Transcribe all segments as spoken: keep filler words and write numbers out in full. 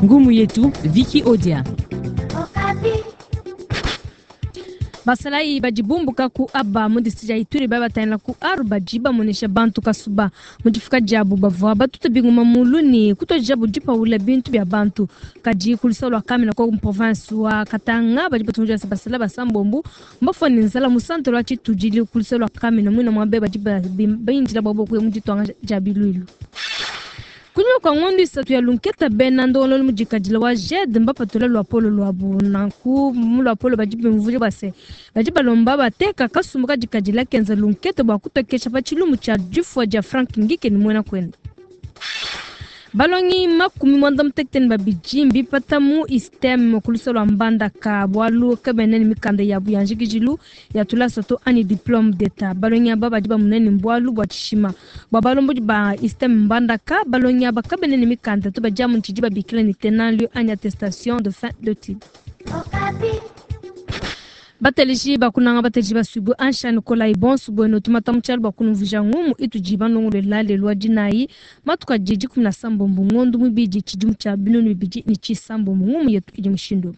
Ngumu yetu Vicky Odia. Basalayi badi bumbuka ku Aba mu district ya Ituri babatangila ku Aru badi bamonesha bantu kasuba mu difuka diabu bavua batuta bingoma mulu ne kutuadijabu dipawula bintu bia bantu kadi ku luseke lua Kamina ku province wa Katanga badi batunguja basala basambombo mbafua ne nzala mu centre wa Tshitudili ku luseke lua Kamina muina muabe badi bindila bua kuya mu ditwanga dia biluilu. Kunyima kua ngondo isatu ya lunketa bena ndongololo mudikadila wa G E D mbapatula luapolo luabu nanku mu luapolo badi bimvuja base badi balomba bateka kasumbu kadikadila kenza lunketa bua kutokesha pa tshilumu tshia difua dia Frank Ngike ni muena kwenda. Balongi makumi mwanda mutekete ne babidi mbipata mu ISTEM ku luseke lua Mbandaka bualu kabena ne mikanda yabu ya njikijilu ya tulasa to ani diplôme d'etat. Balongi aba badi bamuna ne bualu bua tshishima bua balombodi ba ISTEM Mbandaka. Balongi aba kabena ne mikanda to badi amu tshidi babikila ne tenant lieu ani attestation de fin d'études. Bateleji bakunanga bateleji basubu ansha Nikolai bonso bueno tumata mutshalu bakunumvuja ngumu itudi banongolola lelu wa dinayi matuka didi kumi na sambombo ngondo mubidi tshidimu tshia binunu bibidi ne tshisambombo ngumu yetu idi mushindu.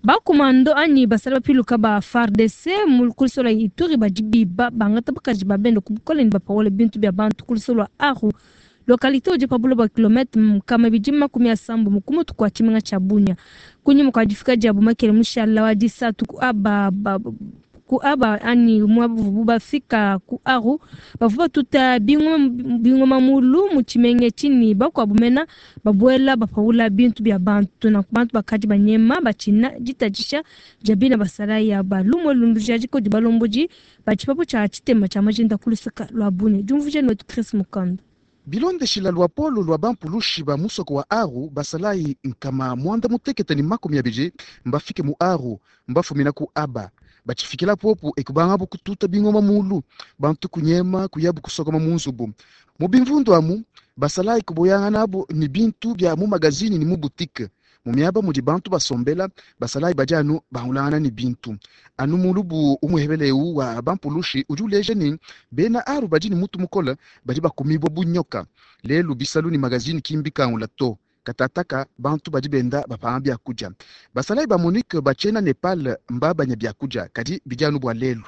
Bakomando anyi basala bapiluka ba F A R D C mu ku luseke lua Ituri badi biba bangata bakaji ba bende ku bukole ne bapawula bintu bia bantu ku luseke lua Aru. Localité udi pa buloba kilomètre nkama ibidi makumi asambo mu kumutu kua tshimenga tshia Bunia. Kunyima kua difika diabu makele mushala wa disatu ku aba ba, ku aba ani mwabu bafika ku Aru bavua batuta bingoma, bingoma mulu mu tshimenga tshini bakuabu mena babuela bapawula bintu bia bantu na bantu bakadi banyema batshina ditadisha dia bina basala ya balumwe lundu dia diko di balombodi ba tshipapu tshia tshitema tshia majinda ku luseke lua Bunia. Diumvuija ne wetu Chris Mukanda. Bilondeshila lua polo lua bampulushi ba musoko wa Aru basalayi nkama mwanda mutekete ni makumi abidi mbafike mu Aru mbafumina ku Aba batshifikila popo ekubanga kututa bingoma mulu bantu kunyema kuyabu kusokoma mu nzubu mu bimvundu amu basalayi kuboyanga nabo ni bintu bya mu magazini ni mu boutique mu miaba mudi bantu basombela basalayi badi anu bahulangana ni bintu anu mulubu umuhebeleu wa bampulushi udi uleja ni bena Aru badi ni mutu mukola badi bakumibwa bunyoka lelu bisalu ni magazini kimbi kangula to katataka bantu badi benda bapanga byakudia basalayi ba Monique bachena Nepal mbabanya byakudia kadi bidi anu bua lelu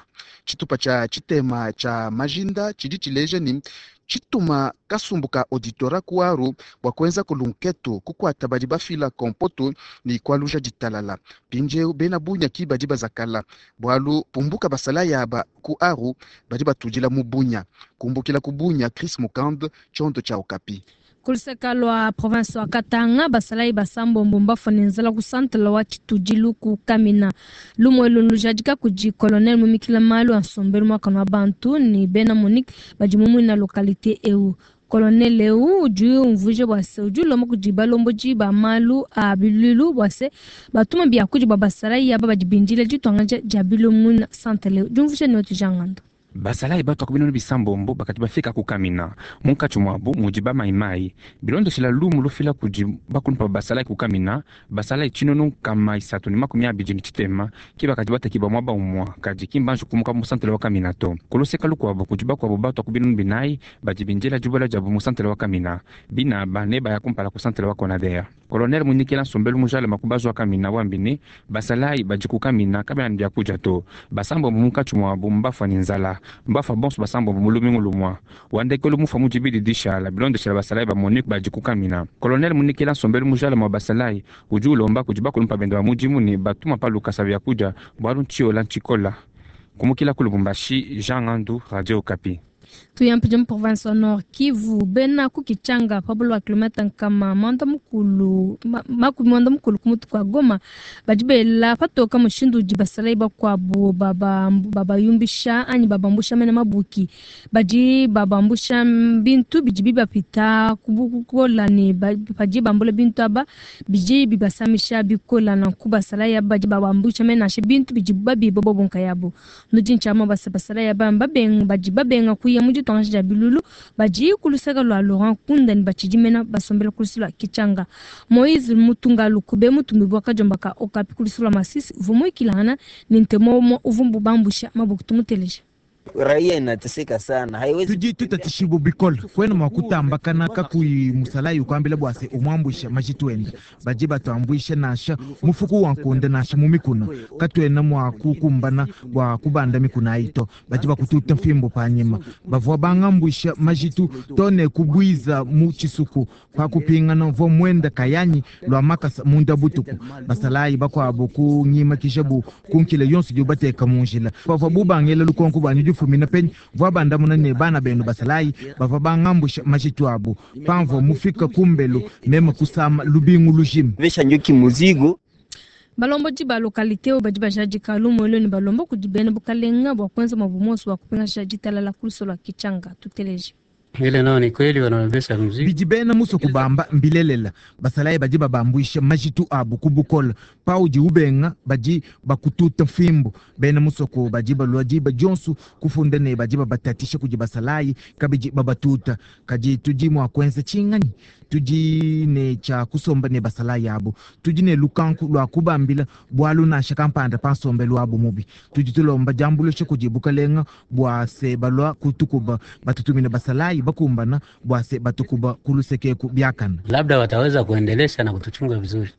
tshitupa tshia tshitema tshia majinda tshidi tshileja ni tshituma kasumbu ka auditora ku Aru bua kuenza kulunketo kukwata badi bafila kompoto ni kwaluja ditalala pinjeu bena Bunia ki badi bazakala bualu pumbuka basalayi aba ku Aru badi batudila mu Bunia kumbukila ku Bunia Chris Mukand tshiondo tshia Okapi. Ku luseke lua province wa Katanga basalayi basambombo mbafua ne nzala ku centre wa Tshitudilu ku Kamina lumwe lulujadika kudi colonel mumikila malu a nsombelu muakana wa bantu ni bena Monique badi mumuina localité eu. Colonel eu udi umvuija bua se udi ulomba kudi balombodi ba malu a biluilu bua se batuma biakudi bua basalayi aba badi bindila ditwanga dia biluilu muina centre eu. Diumvuija ne wetu Jean Ngando. Basalayi batu akubinunu bisambombo bakati bafika ku Kamina munkatshi muabu mudi ba maimai bilondeshela lumu lufila kudi bakulumpa basalayi ku Kamina basalayi tshinunu nkama isatu ne makumi abidi ne tshitema ki bakadi batekibua muaba umua kadi ki mbanji kumuka mu santele wa Kamina to kuluseka lukuabu kudi bakuabu batu akubinunu binayi badi bindila dibuela diabu mu santele wa Kamina bina aba ne baya kumpala ku santele wa Konader. Colonel Munikela Nsombelu mujale makubazu wa Kamina wambine basalayi badi ku Kamina kabena ne biakudia to basambombo munkatshi muabu mbafua ne nzala mbafa bonso basambombo mu lumingu lumua wandekelu mufa mu dibidi dishala bilondeshela basalayi ba Monique badi ku Kamina. Colonel Munikela Nsombelu mujale mwa basalayi udi ulomba kudi bakulumpa bende ba mudimu ne batuma pa lukasa biakudia bualu ntshiola ntshikola. Kumukila ku Lubumbashi, Jean Ngandu, Radio Okapi. Tuyampi mu province wa Nord Kivu bena ku Kichanga pa buloba kilomètre nkama mwanda mukulu, ma, makumi mwanda mukulu ku mutu kwa Goma badi bela patoka mushindu udi basalayi bakuabu baba, babayumbisha anyi babambusha mene mabuki badi babambusha bintu bidi bibapita kubukola ne ba-, badi bambula bintu aba bidi bibasamisha bikola na ku basalayi aba badi babambusha mene nansha bintu bidi babiba bobo nkayabo. Nudi ntshiama basa basalayi aba babenga, badi babenga kuya mu ditwanga dia bilulu badi ku luseke lua Laurent Nkunda ne batshidi mena basombela ku luseke lua Kichanga. Moïse Mutunga Lukube mutumbi bua kadiomba ka Okapi ku luseke lua Masisi uvua muikilangana ne ntemo umue uvua bambusha mabuku tumuteleja. Raia inateseka sana, haiwezi tudi tutatishibu bikole kwena mwa kutambakana kakuyi musalayi ukwambila bwase umwambwisha majitu enda baji batwambwisha nasha mufuku wa nkonde nasha mumikuna katwena mwa kukumbana bwa kubanda mikuna ayito baji bakututa mfimbo panyima bavua bangambwisha majitu tone kubwiza mu chisuku pakupingana vo mwenda kayanyi lwa makasa munda butuku basalayi bakwabo kunyimakisha bu kunkile yonso di bateka munjila bavua bubangela lukonko bwanyu difumina penyi vua bandamuna ne bana benu basalayi bavua bangambwisha majitu abu pamvua mufika kumbelu meme kusama lubingu lujima vesha njoki muzigo Balomboji ba lokalite oyo badi bajadika lumu elo ne balomba kudi bena bukalenga bua kuenza mabumoso bua kupingasha ditalala ku lusolo lua Kichanga. Tuteleje. Ile nao ni kweli wanabebesha mzigo. Bidi bena muso kubamba mbilelela basalayi badi babambwisha majitu abu kubukola paudi ubenga badi bakututa mfimbo bena musoko badi balua diba dionso kufunda ne badi babatatisha kudi basalayi kabidi babatuta kadi tudi mua kuenza tshinganyi tudi ne tshia kusomba ne basalayi abu tudi ne lukanku lua kubambila bualu nansha kampanda pa nsombelu wabu mubi tudi tulomba diambuluisha kudi bukalenga bua se balua kutukuba batutumina basalayi bakumbana bua se batukuba kulusekeku biakana Labda wataweza kuendelesha na kutuchunga vizuri.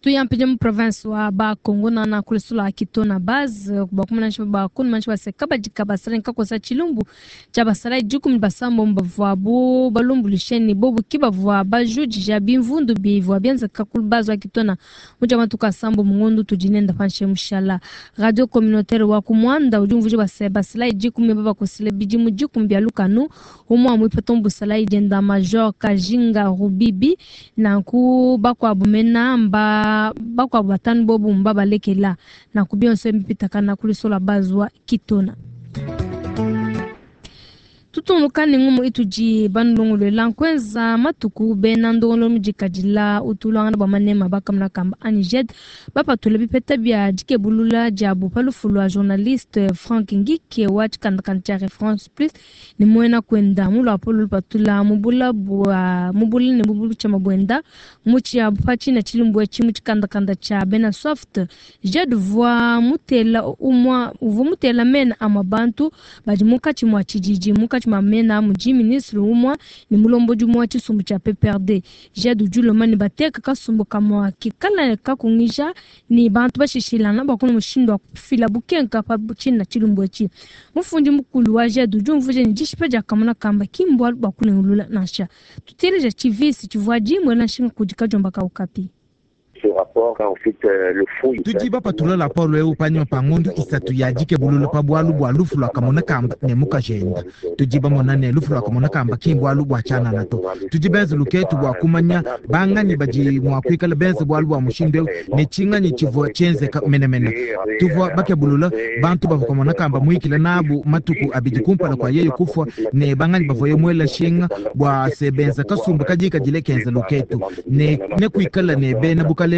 Tuyampije mu province wa Bakongo na kulusula Kitona base bakumanasha bakumanasha baseka badika basala nkakosa chilumbu cha basala dikumi basambo mbavuabu balumbulisheni bobu kibavua bajudija bimvundu bivua bienzeka ku base wa Kitona muja matuka sambo mungondo tudinenda panshe mushala radio communautaire wa kumwanda udi umvuja base basala dikumi babakosele bidimu dikumi bya lukanu umwa mwipeto mbusala idenda major Kajinga Rubibi nanku bakwabu mena mba bakwabu batanu bobu mba balekela nanku bionso mbipitakana kulisola bazwa Kitona. Tutunukane ngumu itudi bandongolwela nkwenza matuku bena ndongolo mudikadila utulwangana bwa manema bakamuna kamba aniged bapatula bipeta bya dikebulula diabu pa lufu lwa journaliste Frank Ngike wa tshikandakanda tshia Reference Plus ni muena kwenda mulwapo lupatula mubula bwa mubula ne bubulu tshia mabwenda mutshi pa tshina tshilumbwe tshi mu tshikandakanda tshia bena soft jed vwa mutela umwa uvua mutela mena ama bantu badi munkatshi mua tshididi munkatshi mua mena mudi ministre umwa ni mulombodi umwa tshisumbu tshia P P R D jed udi ni bateka kasumbu kamwa kikala kakungija ni bantu bashishilana bakuna mushindu wa kufila bukenka pa tshina tshilumbwe tshi mufundi mukulu wa jed udi umvuja ni dishipa dia kamuna kamba kimbwa bakunengulula nansha tuteleja tshivisi tshivua dimwe nanshinga kudi kajomba kaukapi. Tudi bapatula lapolo eu panyima pa ngondu isatu ya dikebulula pa bualu bua lufu lua kamona kamba ne mukajenda tudi bamona ne lufu lua kamona kamba ki bualu bua tshianana to tudi benze luketu bua kumanya banganyi badi mua kuikala benze bualu bua mushindu eu ne tshinganyi tshivua tshienzeka menemene tuvua bakebulula bantu bavua kamona kamba muikila nabu matuku abidi kumpala kua yeye kufua ne banganyi bavua muela nshinga bua se benza kasumbu kadikadile kenza luketu ne ne kuikala ne bena bukalenga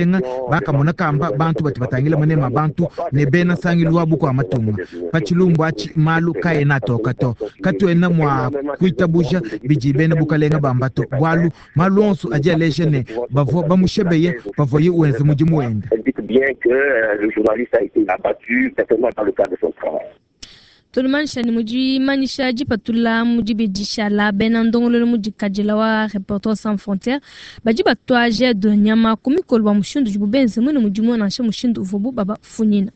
bakamona kamba bantu bati batangila manema bantu ne bena sangilu wabu kwa matunga pachilumbu achi malu kaena toka to katuena mwa kuitabuja bidi bena bukalenga bambato bwalu malu onso adi aleja ne bavua bamushebeye bavua ye wenze mudimu wende. Tulumanisha ni mudi manisha dipatula mudi bidishala bena ndongololo mudikadila wa Reporters Sans Frontières badi batwa jed nyama ku mikolo bua mushindu udibu benze mwene mudimu nansha mushindu uvuabu babafunyina.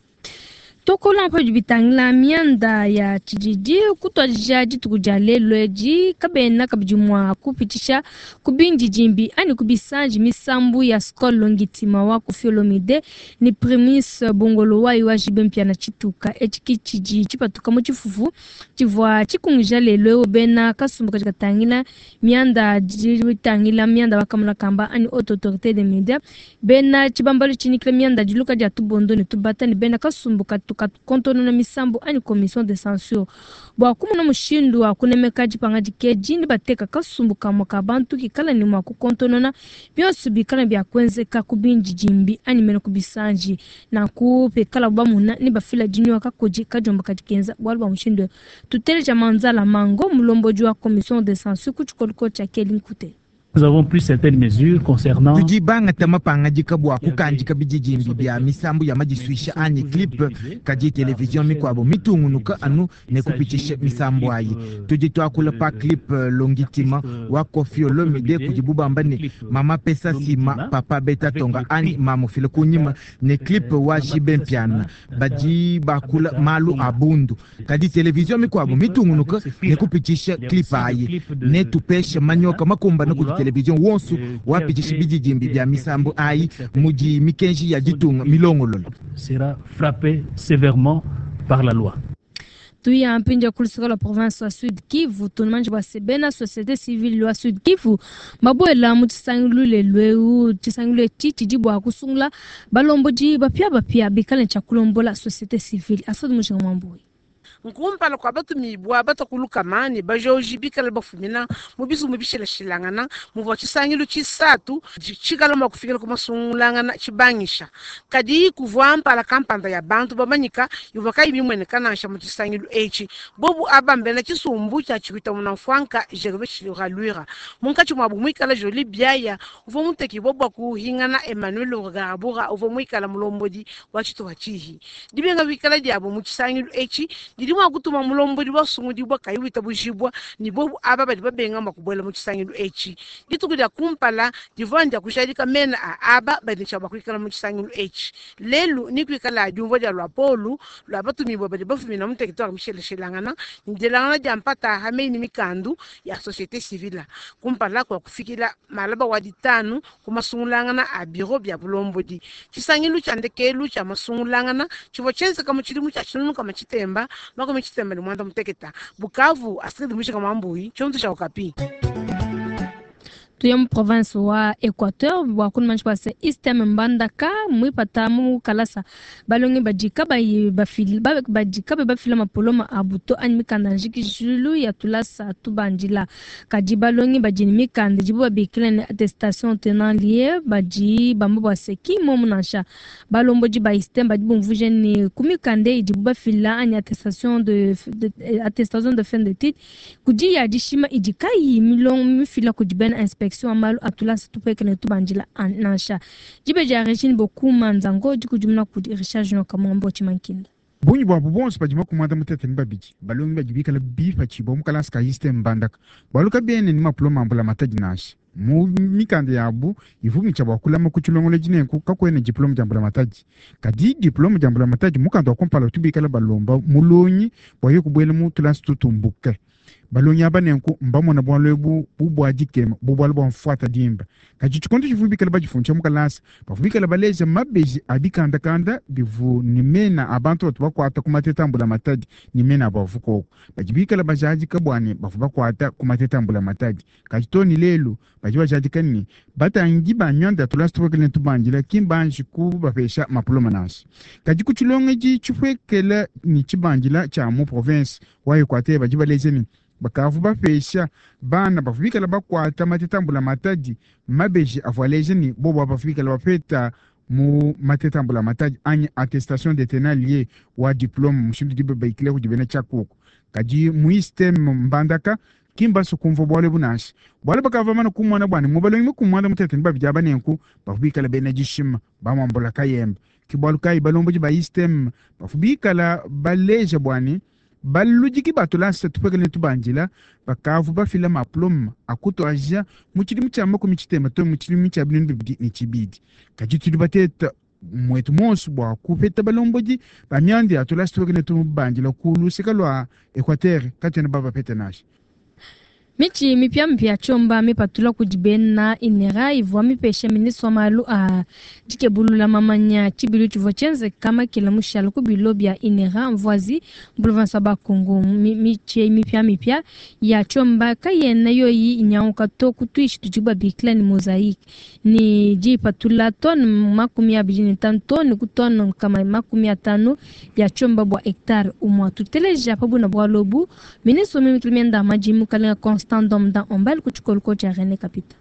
Tokola mpa bitangila mianda ya tshididi kutwadija dituku dia lelo edi kabena kabidi mua kupitisha kubindi dimbi ani kubisanji misambu ya Skol Longitima wa Koffi Olomide ni Primus Bongolo wayi wa J B Mpiana tshituka etshi tshidi tshipatuka mu tshifufu tshivua tshikungija lelo eo bena kasumbu kadi katangila mianda ditangila mianda bakamuna kamba ani haute autorité des médias bena tshibambalu tshinikila mianda diluka dia tubondo ne tubata ne bena kasumbu katu kontono na misambu ani commission de censure bua kumuna mushindu wa kunemeka dipanga dikeji ni bateka kasumbu kamwe ka bantu kikala ni mwa kukontonona bionso bikala bya kwenzeka kubinji jimbi ani mene kubisanji na kupekala bamuna ni bafila dinywa kakoji kajomba kadikenza bwalu bwa mushindu tuteleja manzala mango mulomboji wa commission de censure ku tshikoliko tshia Kelly Nkute. Nous avons pris certaines mesures concernant Tudi bangata mapangadika bua kukandika bididimbi bia misambu ya madisuisha anyi clip kadi television mikwabo mitungunuka anu ne kupitisha misambu ayi. Tudi tuakula pa clip Longitima wa Koffi Olomide kudi bubamba ne mama pesa sima papa beta tonga anyi mamufile kunyima ne clip wa J B Mpiana badi bakula malu a bundu kadi television mikwabo mitungunuka ne kupitisha clip ayi ne tupesha manyoka makumbana kudi television wonso wapitisha bididimbi bia misambu ayi mudi mikenji ya ditunga milongolola. Sera frappé sévèrement par la loi. Tuya mpinja kulusika la province wa Sud Kivu tunumanji bua sebena société civile wa Sud Kivu mabuela mu tshisangilu lelu eu. Tshisangilu etshi tshidi bua kusungula balombodi bapia bapia bikale tshia kulombola société civile. Asodi Mushinga Mwambui. Nkumpala kwa batumibwa batakulukama ne bajoji bikala bafumina mu bizumu bishilashilangana muvua tshisangilu tshisatu tshikala mua kufikila ku masungulangana tshibangisha kadi kuvua mpala kampanda ya bantu bamanyika ivua kayi bimueneka nansha mu tshisangilu etshi. Bobu aba mbena tshisumbu tshia tshikuita munamfuanka Gervais Chiluralwira munkatshi muabu muikala Joli Biaya uvua mutekibua bua kuhingana Emmanuel Rugabura uvua muikala mulombodi wa tshituha tshihi. Dibenga bikala diabu mu tshisangilu etshi didi mua kutuma mulombodi wasungudibwa kayi witabujibwa ni bobu aba badi babenga mua kubuela mu tshisangilu etshi. Dituku dia kumpala divua ndia kujadika mena a aba badi tshia bua kuikala mu tshisangilu etshi. Lelu ni kuikala diumvua dia luapolu lua batumibua badi bafumina mu territoire misheleshelangana ni dielangana dia mpata hamei ni mikandu ya société civile kumpala kua kufikila malaba wa ditanu ku masungulangana a biro bia bulombodi. Tshisangilu tshia ndekelu tshia masungulangana tshivua tshienzeka mu tshidimu tshia tshinunuka matshitemba makumi tshitemba ne mwanda muteketa. Bukavu, Astrid Mushika Mwambui, tshionso tshia Okapi. Tuya mu province wa Équateur bua kunumanji bua se ISTM Mbandaka muipata mu kalasa balongi badi kabayi bafili badi kabayi bafila mapoloma a buto anyi mikanda njikijulu ya tulasa tubandila kadi balongi badi ne mikanda idibo babikila ne attestation tenant lieu badi bamba bua se ki momu nansha. Balombodi ba ISTM badi bumvuija ne ku mikanda idibo bafila anyi attestation de, de, attestation de fin d'étude kudi ya dishima idi kayi milongo mifila kudi bena inspection ya malu atulasa tupekele tubandila nansha. Dibe dia Regine Bokuma Nzango dikudimuna kudi Richard Junior Kamombo Chimankinda. Bungi bwabo bonso badi makumanda mutete ni babidi balongi badi bikala bipatshibua mu kalasa ka ISTM Mbandaka bualu kabiene ni mapuloma ambula matadi nansha mu mikanda yabu ivumitshia bua kulama ku tshilongolo dinenku kakuena diplome dia mbula matadi kadi diplome dia mbula matadi mukanda wa kumpala tubikala balomba mulongi bua ye kubuela mu tulasa tutumbuke. Balongi aba nenku mbamona bualu ebu bubua dikema bubualu bua mfuata dimba kadi tshikondo tshivu bikala badifundisha mu kalasa bavu bikala baleja mabeji a bikandakanda bivu ni mena a bantu batu bakuata ku mateta a mbula matadi ni mena abu avu koko badi bikala bajadika bua ne bavu bakuata ku mateta a mbula matadi kadi to ni lelu badi bajadika ni batangi ba myanda ya tulasa tupwekele ne tubandila ki mbanji kubapesha mapuloma nansha kadi ku tshilongedi tshipwekela ni tshibandila tshia mu province wa Equateur badi baleja ni bakavu bapesha bana bavu bikala bakuata mateta mbula matadi mabeji avua aleja ni bobo bavu bikala bapeta mu mateta mbula matadi anyi attestation de tenant lieu wa diplome mushindu dibe baikile kudi bena tshiakuku kadi mu ISTM Mbandaka kimbaso kumva bualu ebu nansha bualu bakava mana kumona bua ne mu balongi mukumwanda mutete ni babidi aba nenku bavu bikala bena dishima bamwambula kayembe ki bualu kayi balombodi ba ISTM bavu bikala baleja bua ne baludiki batulasa tupekele tubandila bakavu bafila maploma akutuaja mu tshidimu tshia makumi tshitema to mu tshidimu tshia binunu bibidi ne tshibidi kadi tudi bateta mwetu monso bua kupeta balombodi ba mianda ya tulasa tupekele tubandila ku luseka lua Equateur katuena babapeta nansha. Mitshi mipiamipia tshiomba mipatula kudi bena INERA ivua mipesha ministre wa malu a dikebulula mamanya tshibilu tshivua tshienzeka makela mushala ku bilo bia INERA Mvoazi province wa Bakongo. Mitshi mipiamipia ya tshiomba kayena yoyi inyanguka to ku tuishi tudi babikila ni mosaïque ni dipatula tone makumi abidi ne tanu tone ku tone nkama makumi atanu ya tshiomba bua hectare umua. Tuteleja pa buna bualu ebu ministre wa mimikili mienda maji mukalenga Constant Domdan Ombal ku tshikolo tshia René Kapita.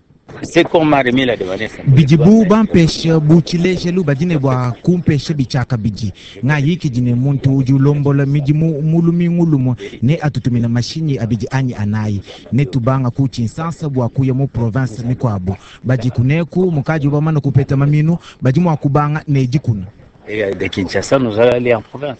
Bidibu bampesha bu tshilejelu badi ne bua kumpesha bitshiakabidi. Ngayikidi ne muntu udi ulombola midimu mu lumingu lumue ne atutumina mashinyi abidi anyi anayi. Ne tubanga ku Tshinsansa bua kuya mu province mikuabu. Badi kuneku mukadi bamane kupeta maminu badi mua kubanga ne dikuna. De Kinshasa, nous allons aller en province.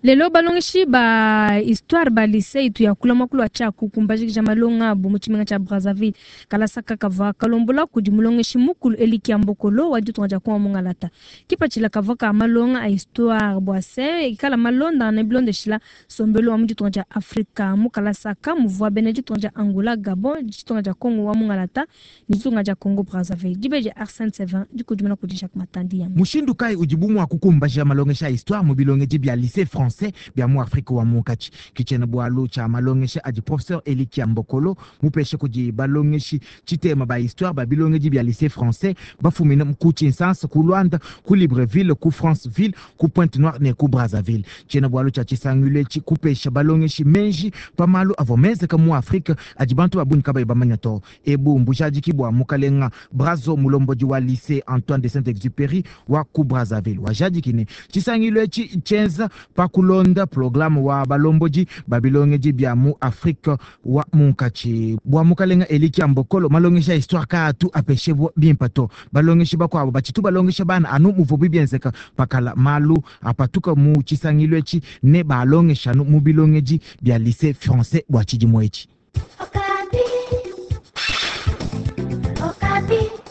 Lelo balongeshi ba histoire ba lycée itu yakula mwakulu wa tshiaku kumbajikija malonga abu mu tshimenga tshia Brazzaville. Kalasa kavua kalombola kudi mulongeshi mukulu Elikia Mbokolo wa ditunga dia Kongo Mungalata. Kipatshila kavua ka malonga a histoire bua se ikala malonda ne bilondeshila sombelu wa mu ditunga dia Afrika. Mu kalasa ka muvua bena ditunga dia Angola, Gabon, ditunga dia Kongo wa Mungalata ne ditunga dia Congo Brazzaville. Dibeji Arsène Sevin dikudimuna kudi Jacques Matandi yamba. Mushindu kai udibu mua kukumbaja malongesha a histoire mu bilongeji bia lycée français bia mu Afrika wa munkatshi. Kitshena bualu tshia malongesha adi professeur Elikia Mbokolo mupeshe kudi balongeshi tshitema ba histoire ba bilongeji bia lycée français bafumina ku Tshinsansa, ku Luanda, ku Libreville, ku Franceville, ku Pointe Noire ne ku Brazzaville. Tshiena bualu tshia tshisangilu etshi kupesha balongeshi menji pa malu avua menzeka mu Afrika adi bantu ba bungi kabayi bamanya to. Ebu mbujadiki bua mukalenga Brazo mulombodi wa lycée Antoine de Saint-Exupéry wa ku Brazzaville. Wajadiki ne tshisangilu etshi tshienza pa kulonda programme wa balomboji babilongeji bia mu Afrika wa munkatshi. Bua mukalenga Elikia Mbokolo malongesha histoire kaatu apeshebwa bimpa to. Balongeshi bakuabu batshitu balongesha bana anu muvubi bienzeka pakala malu apatuka mu tshisangilu etshi ne balongesha anu mu bilongeji bia lycée français bua tshidimu etshi. Okapi. Okapi.